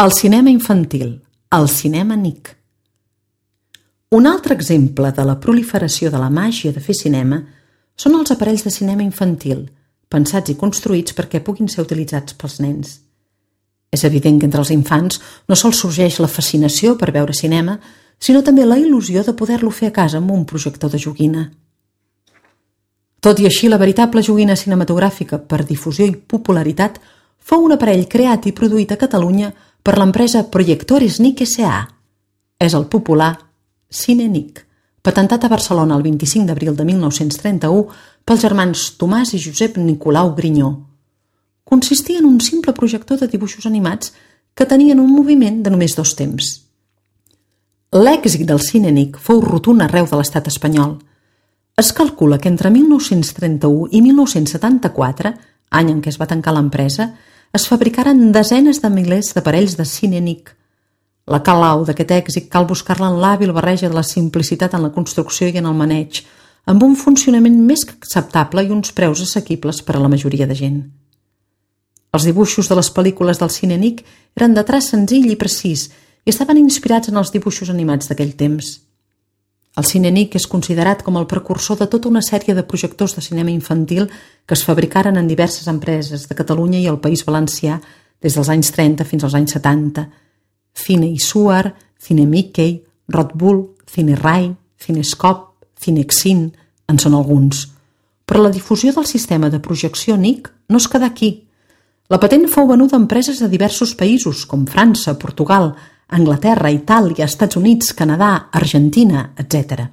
El cinema infantil, el cinema NIC. Un altre exemple de la proliferació de la màgia de fer cinema són els aparells de cinema infantil, pensats i construïts perquè puguin ser utilitzats pels nens. És evident que entre els infants no sols sorgeix la fascinació per veure cinema, sinó també la il·lusió de poder-lo fer a casa amb un projector de joguina. Tot i així, la veritable joguina cinematogràfica per difusió i popularitat fou un aparell creat i produït a Catalunya per l'empresa Proyectores NIC S.A. És el popular Cine NIC, patentat a Barcelona el 25 d'abril de 1931 pels germans Tomàs i Josep Nicolau Grinyó. Consistia en un simple projector de dibuixos animats que tenien un moviment de només 2 temps. L'èxit del Cine NIC fou rotund arreu de l'estat espanyol. Es calcula que entre 1931 i 1974, any en què es va tancar l'empresa, es fabricaren desenes de milers d'aparells de Cine NIC. La clau d'aquest èxit cal buscar-la en l'hàbil barreja de la simplicitat en la construcció i en el maneig, amb un funcionament més que acceptable i uns preus assequibles per a la majoria de gent. Els dibuixos de les pel·lícules del Cine NIC eren de traç senzill i precís i estaven inspirats en els dibuixos animats d'aquell temps. El Cine NIC és considerat com el precursor de tota una sèrie de projectors de cinema infantil que es fabricaren en diverses empreses de Catalunya i el País Valencià des dels anys 30 fins als anys 70. Cine Isuar, Cine Mickey, Red Bull, Cine Rai, Cinescope, Cinexin, en són alguns. Però la difusió del sistema de projecció NIC no es quedà aquí. La patent fou venuda a empreses de diversos països, com França, Portugal, Anglaterra, Itàlia, Estats Units, Canadà, Argentina, etc.